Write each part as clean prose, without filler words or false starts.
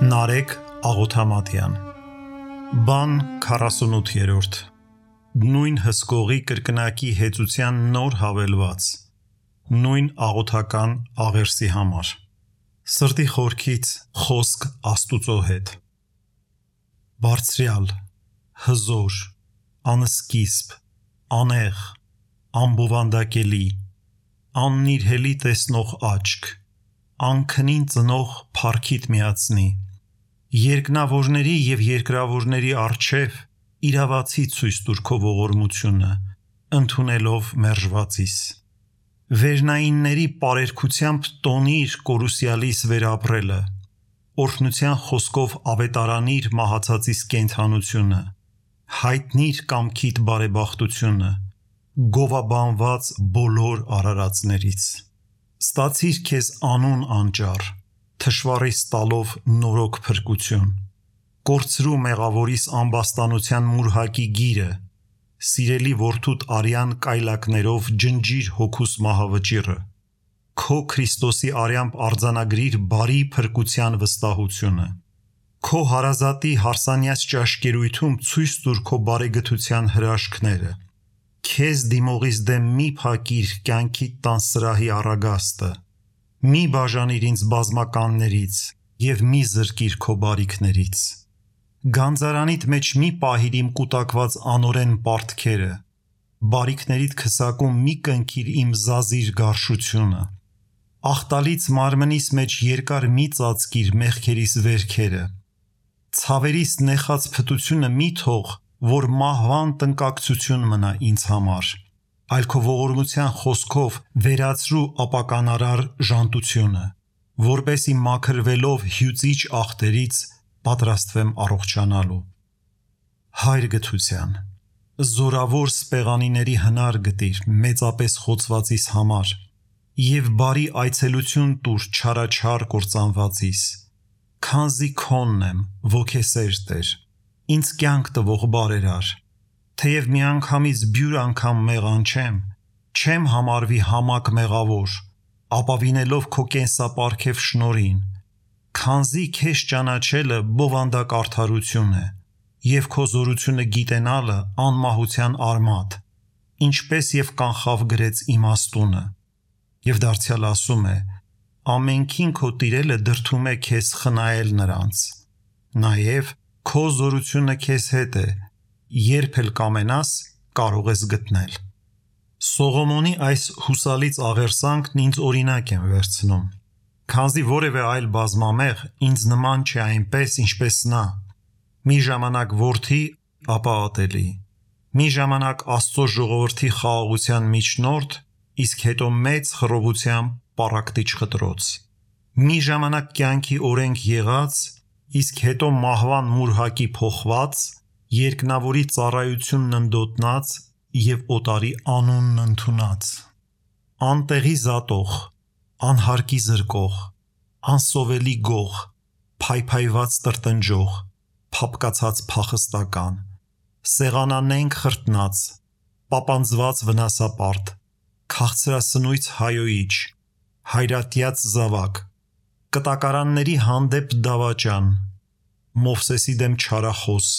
Նարեկ Աղոթամատյան Բան 48-րդ Նույն հսկողի կրկնակի հեծության նոր հավելված Նույն աղոթական աղերսի համար Սրտի խորքից խոսք Աստուծո հետ Բարձրյալ, հզոր, անսկիզբ, անեղ, անբովանդակելի, աննիրհելի տեսնող աչք, անքնին ծնող փառքիդ միացնի Երկնավորների և երկրավորների առջև իրավացի ցույց տուր քո ողորմությունը, ընդունելով մերժվածիս Վերնայինների պարերգությամբ տոնիր կորուսյալիս վերապրելը Օրհնության խոսքով ավետարանիր մահացածիս կենդանությունը Հայտնիր կամքիդ բարեբախտությունը Գովաբանված բոլոր արարածներից Ստացիր քեզ անուն անճառ Թշվառիս տալով նորոգ փրկություն Կորցրու մեղավորիս ամբաստանության մուրհակի գիրը Սիրելի որդուդ արյան կայլակներով ջնջիր հոգուս մահավճիռը Քո Քրիստոսի արյամբ արձանագրիր բարի փրկության վստահությունը Քո հարազատի հարսանյաց ճաշկերույթում ցույց տուր քո բարեգթության հրաշքները Քեզ դիմողիս դեմ մի փակիր կյանքիդ տան սրահի առագաստը Մի բաժանիր ինձ բազմականներից և մի զրկիր քո բարիքներից Գանձարանիդ մեջ մի պահիր իմ կուտակված անօրեն պարտքերը Բարիքներիդ քսակում մի կնքիր իմ զազիր գարշությունը Աղտալից մարմնիս մեջ երկար մի ծածկիր մեղքերիս վերքերը Ցավերիս նեխած փտությունը մի թող, որ մահվան տնկակցություն մնա ինձ համար Այլ քո ողորմության խոսքով վերացրու ապականարար ժանտությունը Որպեսզի մաքրվելով հյուծիչ աղտերից պատրաստվեմ առողջանալու Հայր գթության Զորավոր սպեղանիների հնար գտիր մեծապես խոցվածիս համար Եվ բարի այցելություն տուր չարաչար կործանվածիս Քանզի քոնն եմ ոգեսեր Տեր Ինձ կյանք տվող բարերար Թեև միանգամից բյուր անգամ մեղանչեմ Չեմ համարվի համակ մեղավոր Ապավինելով քո կենսապարգև շնորհին Քանզի քեզ ճանաչելը բովանդակ արդարություն է Եվ քո զորությունը գիտենալը անմահության արմատ Ինչպես և կանխավ գրեց իմաստունը Եվ դարձյալ ասում է Ամենքին քո տիրելը դրդում է քեզ խնայել նրանց Նաև քո զորությունը քեզ հետ է Երբ էլ կամենաս կարող ես գտնել Սողոմոնի այս հուսալից աղերսանքն ինձ օրինակ եմ վերցնում Քանզի որևէ այլ բազմամեղ ինձ նման չէ այնպես ինչպես նա Մի ժամանակ որդի ապա ատելի Մի ժամանակ Աստծո ժողովրդի խաղաղության միջնորդ Իսկ հետո մեծ խռովությամբ պառակտիչ խտրոց Մի ժամանակ կյանքի օրենք եղած Իսկ հետո մահվան մուրհակի փոխված Երկնավորի ծառայությունն ընդոտնած և օտարի անունն ընդունած Անտեղի զատող, անհարկի զրկող, անսովելի գող, փայփայված տրտնջող, փափկացած փախստական, սեղանանենգ խրտնած, պապանձված վնասապարտ, քաղցրասնույց հայոյիչ, հայրատյաց զավակ, կտակարանների հանդեպ դավաճան, Մովսեսի դեմ չարախոս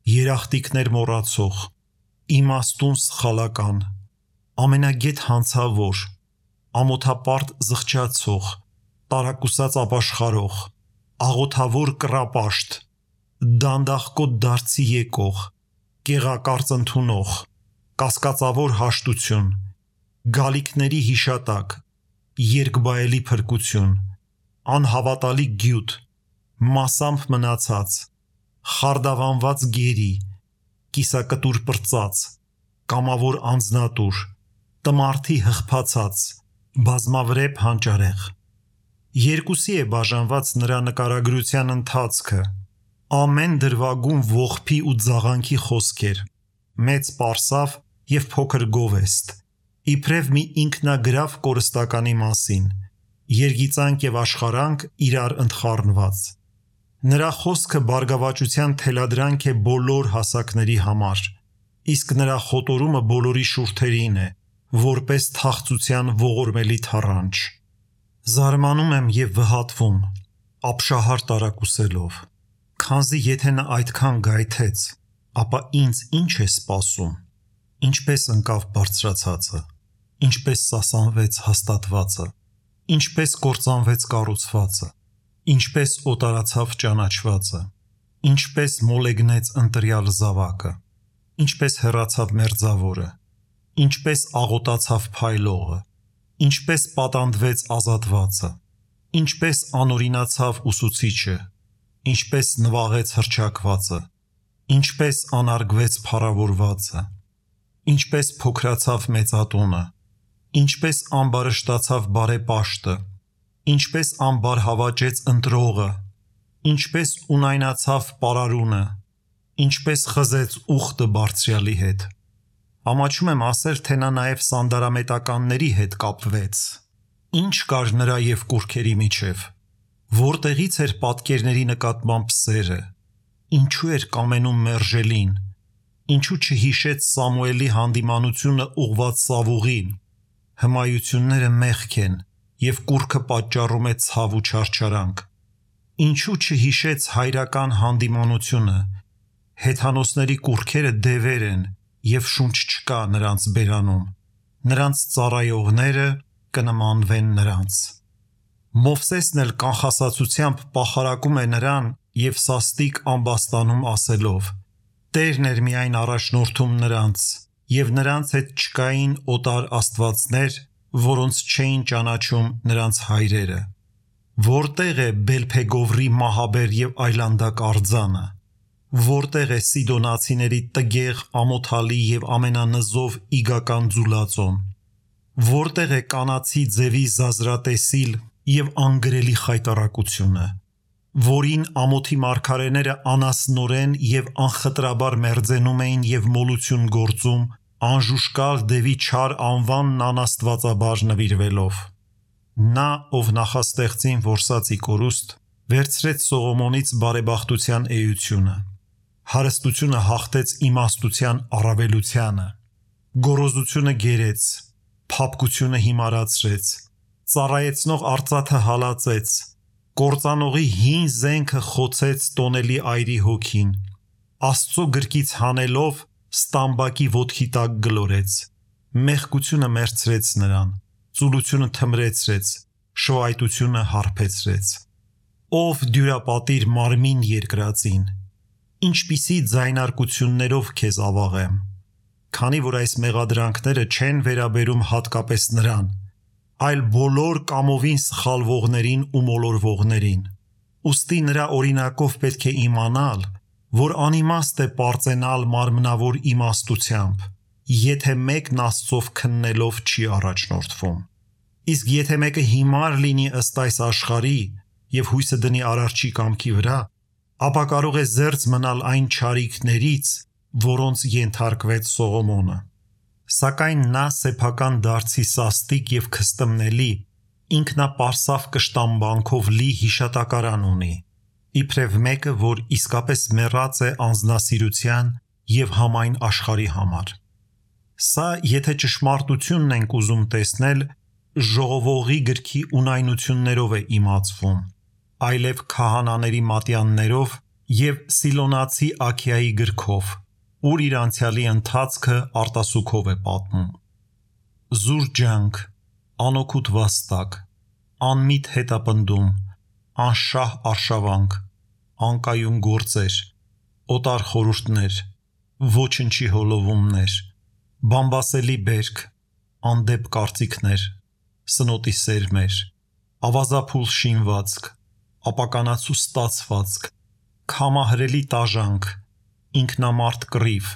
Երախտիկներ մոռացող, իմաստուն սխալական, ամենագետ հանցավոր, ամոթապարտ զղջացող, տարակուսած ապաշխարող, աղոթավոր կռապաշտ, դանդաղկոտ դարձի եկող, կեղակարծ ընդունող, կասկածավոր հաշտություն, գալիքների հիշատակ, երկբայելի փրկություն, անհավատալի գյուտ, մասամբ մնացած Խարդավանված գերի, կիսակտուր պրծած, կամավոր անձնատուր, տմարդի հղփացած, բազմավրեպ հանճարեղ Երկուսի է բաժանված նրա նկարագրության ընթացքը Ամեն դրվագում ողբի ու ձաղանքի խոսքեր Մեծ պարսավ և փոքր գովեստ Իբրև մի ինքնագրավ կորստականի մասին Երգիծանք և աշխարանք իրար ընդխառնված Նրա խոսքը բարգավաճության թելադրանք է բոլոր հասակների համար Իսկ նրա խոտորումը բոլորի շուրթերին է Որպես թախծության ողորմելի թառանչ Զարմանում եմ և վհատվում ապշահար տարակուսելով, քանզի եթե նա այդքան գայթեց, ապա ինձ ինչ է սպասում, ինչպես ընկավ բարձրացածը, ինչպես սասանվեց հաստատվածը, ինչպես կործանվեց կառուցվածը, ինչպես օտարացավ ճանաչվածը, ինչպես մոլեգնեց ընտրյալ զավակը, ինչպես հեռացավ մերձավորը, ինչպես աղոտացավ փայլողը, ինչպես պատանդվեց ազատվածը, ինչպես անօրինացավ ուսուցիչը, ինչպես նվաղեց հռչակվածը, ինչպես անարգվեց փառավորվածը, ինչպես փոքրացավ մեծատունը, ինչպես ամբարշտացավ բարեպաշտը, ինչպես ամբարհավաճեց ընտրողը, ինչպես ունայնացավ պարարունը, ինչպես խզեց ուխտը բարձրյալի հետ։ Ամաչում եմ ասել, թե նա նաև սանդարամետականների հետ կապվեց։ Ինչ կար նրա և կուռքերի միջև, որտեղից էր պատկերների նկատմամբ սերը, ինչու էր կամենում մերժելին, ինչու չհիշեց Սամուելի հանդիմանությունը ուղղված Սավուղին, հմայությունները մեղք են և կուռքը պատճառում է ցավ ու չարչարանք, ինչու չհիշեց հայրական հանդիմանությունը, հեթանոսների կուռքերը դևեր են և շունչ չկա նրանց բերանում, նրանց ծառայողները կնմանվեն նրանց։ Մովսեսն էլ կանխասացությամբ պախարակում է նրան և սաստիկ ամբաստանում ասելով. Տերն էր միայն առաջնորդում նրանց, և նրանց հետ չկային օտար աստվածներ, որոնց չէին ճանաչում նրանց հայրերը։ Որտեղ է Բելփեգովրի մահաբեր և այլանդակ արձանը, որտեղ է Սիդոնացիների տգեղ, ամոթալի և ամենանզով իգական ձուլածոն, որտեղ է կանացի ձևի զազրատեսիլ և անգրելի խայտառակությունը, որին ամոթի մարգարեները անասնորեն և անխտրաբար մերձենում էին և մոլություն գործում, անժուշկալ դևի չար անվանն անաստվածաբար նվիրվելով։ Նա, ով նախաստեղծին որսացի կորուստ, վերցրեց Սողոմոնից բարեբախտության էությունը, հարստությունը հաղթեց իմաստության առավելությանը, գոռոզությունը գերեց, փափկությունը հիմարացրեց, ծառայեցնող արծաթը հալածեց, կործանողի հին զենքը խոցեց տոնելի այրի հոգին, Աստծո գրկից հանելով ստամբակի ոտքի տակ գլորեց, մեղքությունը մերցրեց նրան, ծուլությունը թմրեցրեց, շվայտությունը հարբեցրեց։ Ով դյուրապատիր մարմին երկրածին, ինչպիսի ձայնարկություններով քեզ ավաղեմ, քանի որ այս մեղադրանքները չեն վերաբերում հատկապես նրան, այլ բոլոր կամովին սխալվողներին ու մոլորվողներին։ Ուստի նրա օրինակով պետք է իմանալ, որ անիմաստ է պարծենալ մարմնավոր իմաստությամբ, եթե մեկն Աստծով քննելով չի առաջնորդվում։ Իսկ եթե մեկը հիմար լինի ըստ այս աշխարհի և հույսը դնի Արարչի կամքի վրա, ապա կարող է զերծ մնալ այն չարիքներից, որոնց ենթարկվեց Սողոմոնը։ Սակայն նա սեփական դարձի սաստիկ և քստմնելի, ինքնապարսավ կշտամբանքով լի հիշատակարան ունի, իբրև մեկը, որ իսկապես մեռած է անձնասիրության և համայն աշխարհի համար։ Սա, եթե ճշմարտությունն ենք ուզում տեսնել, ժողովողի գրքի ունայնություններով է իմացվում, այլև քահանաների մատյաններով և Սիլոնացի Աքիայի գրքով, ուր իր անցյալի ընթացքը արտասուքով է պատմում։ Զուր ջանք, անօգուտ վաստակ, անմիտ հետապնդում, անշահ արշավանք, անկայուն գործեր, օտար խորհուրդներ, ոչնչի հոլովումներ, բամբասելի բերք, անդեպ կարծիքներ, սնոտի սերմեր, ավազափուլ շինվածք, ապականացու ստացվածք, քամահրելի տաժանք, ինքնամարդ կռիվ,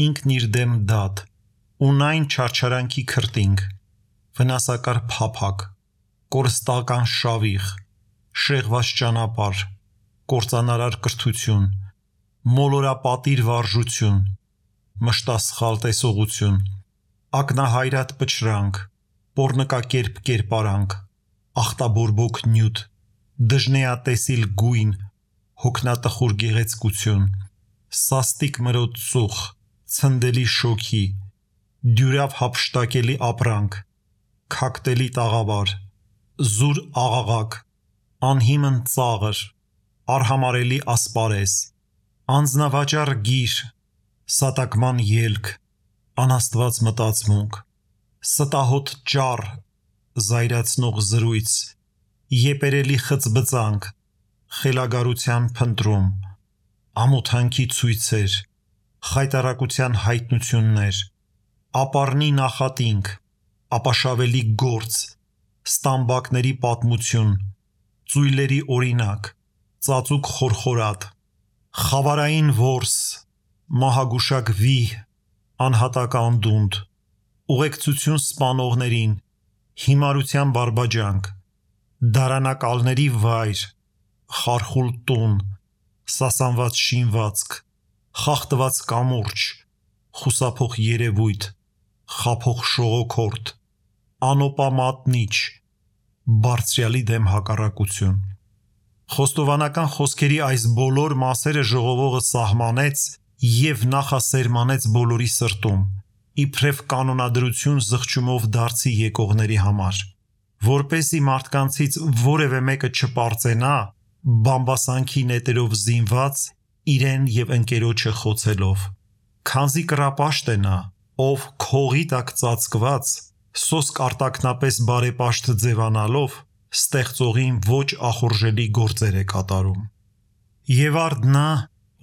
ինքն իր դեմ դատ, ունայն չարչարանքի քրտինք, վնասակար փափակ, կորստական շավիղ, շեղված ճանապարհ, կործանարար կրթություն, մոլորապատիր վարժություն, մշտասխալ տեսողություն, ակնահայրատ պչրանք, պոռնկակերպ կերպարանք, ախտաբորբոք նյութ, դժնեատեսիլ գույն, հոգնատխուր գեղեցկություն, սաստիկ մրոտ ծուխ, ցնդելի շոգի, դյուրավ հափշտակելի ապրանք, քակտելի տաղավար, զուր աղաղակ, անհիմն ծաղր, արհամարելի ասպարես, անձնավաճառ գիր, սատակման ելք, անաստված մտածմունք, ստահոտ ճառ, զայրացնող զրույց, եպերելի խծբծանք, խելագարության փնտրում, ամոթանքի ցույցեր, խայտառակության հայտնություններ, ապառնի նախատինք, ապաշավելի գործ, ստամբակների պատմություն, ծույլերի օրինակ, ծածուկ խորխորատ, խավարային որս, մահագուշակ վիհ, անհատական դունդ, ուղեկցություն սպանողներին, հիմարության բարբաջանք, դարանակալների վայր, խարխուլ տուն, սասանված շինվածք, խախտված կամուրջ, խուսափող երևույթ, խաբող շողոքորդ, անոպա մատնիչ, բարձրյալի դեմ հակառակություն։ Խոստովանական խոսքերի այս բոլոր մասերը ժողովողը սահմանեց և նախասերմանեց բոլորի սրտում, իբրև կանոնադրություն զղջումով դարձի եկողների համար, որպեսզի մարդկանցից որևէ մեկը չպարծենա, բամբասանքի նետերով զինված, իրեն և ընկերոջը խոցելով, քանզի կռապաշտ է նա, ով քողի տակ ծածկված, սոսկ արտաքնապես բարեպաշտ ձևանալով, ստեղծողին ոչ ախորժելի գործեր է կատարում։ Եվ արդ նա,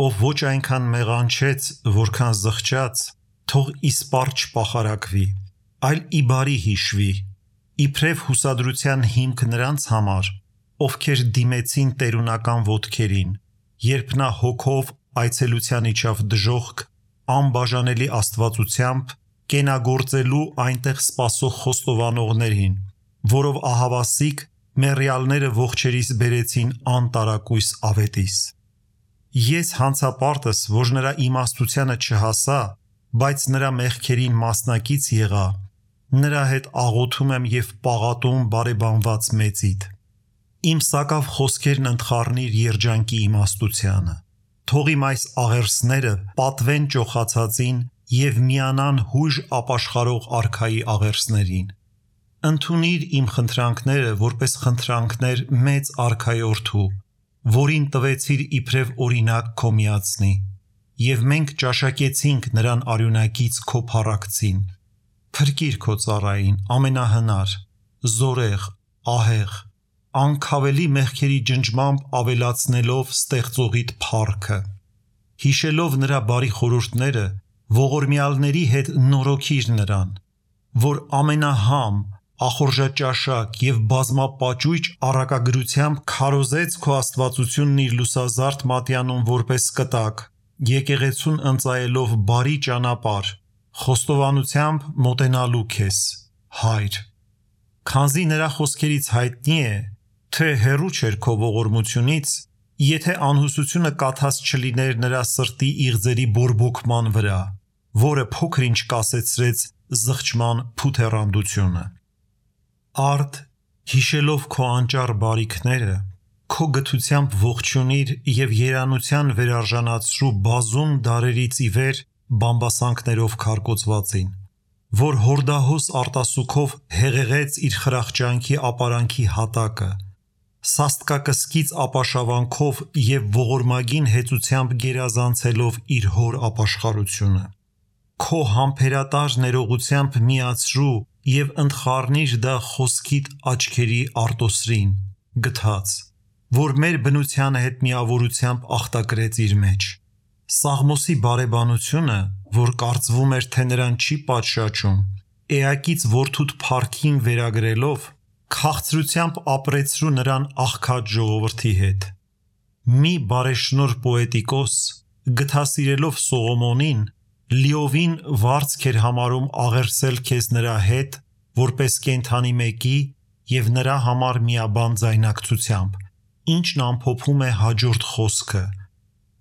ով ոչ այնքան մեղանչեց, որքան զղջաց, թող իսպառ չպախարակվի, այլ ի բարի հիշվի, իբրև հուսադրության հիմք նրանց համար, ովքեր դիմեցին տերունական ոտքերին, երբ նա հոգով այցելության իջավ դժոխք, անբաժանելի աստվածությամբ կենագործելու այնտեղ սպասող խոստովանողներին, որով ահավասիկ մեռյալները ողջերիս բերեցին անտարակույս ավետիս։ Ես հանցապարտս, որ նրա իմաստությանը չհասա, բայց նրա մեղքերին մասնակից եղա, նրա հետ աղոթում եմ և պաղատում բարեբանված մեծիդ։ Իմ սակավ խոսքերն ընթխառնիր երջանքի իմաստությանը, թող իմ այս աղերսները պատվեն ճոխացածին և միանան հույժ ապաշխարող արքայի աղերսներին։ Ընդունիր իմ խնդրանքները որպես խնդրանքներ մեծ արքայորդու, որին տվեցիր իբրև օրինակ քո միածնի, և մենք ճաշակեցինք նրան արյունակից քո փառակցին։ Փրկիր քո ծառային, ամենահնար, զորեղ, ահեղ, անքավելի մեղքերի ջնջմամբ ավելացնելով ստեղծողիդ փառքը։ Հիշելով նրա բարի խորհուրդները, ողորմյալների հետ նորոգիր նրան, որ ամենահամ, ախորժաճաշակ և բազմապաճույճ առակագրությամբ քարոզեց քո աստվածությունն իր լուսազարդ մատյանում որպես կտակ, եկեղեցուն ընծայելով բարի ճանապարհ, խոստովանությամբ մոտենալու քեզ, Հայր։ Քանզի նրա խոսքերից հայտնի է, թե հեռու չէր քո ողորմությունից, եթե անհուսությունը կաթած չլիներ նրա սրտի իղձերի բորբոքման վրա, որը փոքր-ինչ կասեցրեց զղջման փութեռանդությունը։ Արդ, հիշելով քո անճառ բարիքները, քո գթությամբ ողջունիր և երանության վերարժանացրու բազում դարերից ի վեր բամբասանքներով քարկոծվածին, որ հորդահոս արտասուքով հեղեղեց իր խրախճանքի ապարանքի հատակը, սաստկակսկիծ ապաշավանքով և ողորմագին հեծությամբ գերազանցելով իր հոր ապաշխարությունը։ Քո համբերատար ներողությամբ միացրու և ընթխառնիր դա խոսքիդ աչքերի արտոսրին, գթած, որ մեր բնության հետ միավորությամբ ախտակրեց իր մեջ։ Սաղմոսի բարեբանությունը, որ կարծվում էր, թե նրան չի պատշաճում, էակից որդուդ փառքին վերագրելով, քաղցրությամբ ապրեցրու նրան աղքատ ժողովրդի հետ։ Մի բարեշնորհ պոետիկոս, գթասիրելով Սողոմոնին, լիովին վարձք էր համարում աղերսել քեզ նրա հետ, որպես կենդանի մեկի և նրա համար միաբան ձայնակցությամբ, ինչն ամփոփում է հաջորդ խոսքը.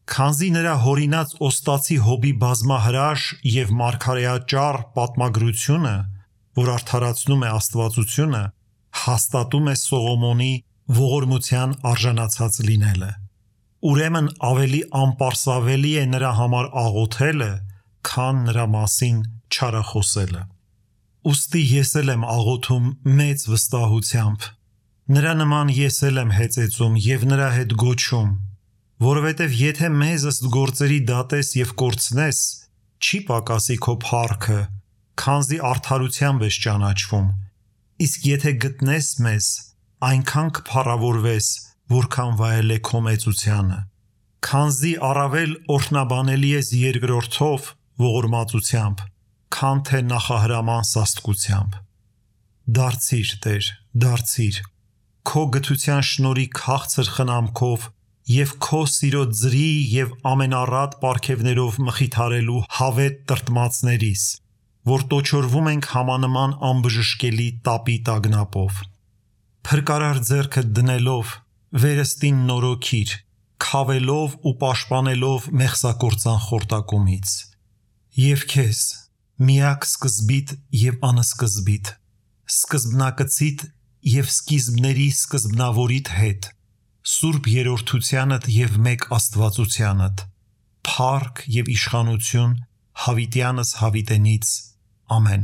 քանզի նրա հորինած օստացի հոբի բազմահրաշ և մարգարեաճառ պատմագրությունը, որ արդարացնում է աստվածությունը, հաստատում է Սողոմոնի ողորմության արժանացած լինելը։ Ուրեմն ավելի անպարսավելի է նրա համար աղոթելը, քան նրա մասին չարախոսելը։ Ուստի ես էլ եմ աղոթում մեծ վստահությամբ, Նրա նման ես էլ եմ հեծեծում և նրա հետ գոչում, որովհետև եթե մեզ ըստ գործերի դատես և կորցնես, չի պակասի քո փառքը, քանզի արդարությամբ ես ճանաչվում, իսկ եթե գտնես մեզ, այնքան կփառավորվես, որքան վայել է քո մեծությանը, քանզի առավել օրհնաբանելի ես երկրորդով ողորմածությամբ, քան թե նախահրաման սաստկությամբ։ Դարձիր, Տեր, դարձիր, քո գթության շնորհի քաղցր խնամքով և քո սիրո ձրի և ամենառատ պարգևներով մխիթարելու հավետ տրտմածներիս, որ տոչորվում ենք համանման անբժշկելի տապի տագնապով։ Փրկարար ձեռքդ դնելով վերստին նորոգիր, քավելով ու պաշտպանելով մեղսակործան խորտակումից։ Եվ քեզ, միակ սկզբիտ և անսկզբիտ, սկզբնակցիդ և սկիզբների սկզբնավորիդ հետ, սուրբ երրորդությանդ և մեկ աստվածությանդ, փառք և իշխանություն հավիտյանս հավիտենից, ամեն։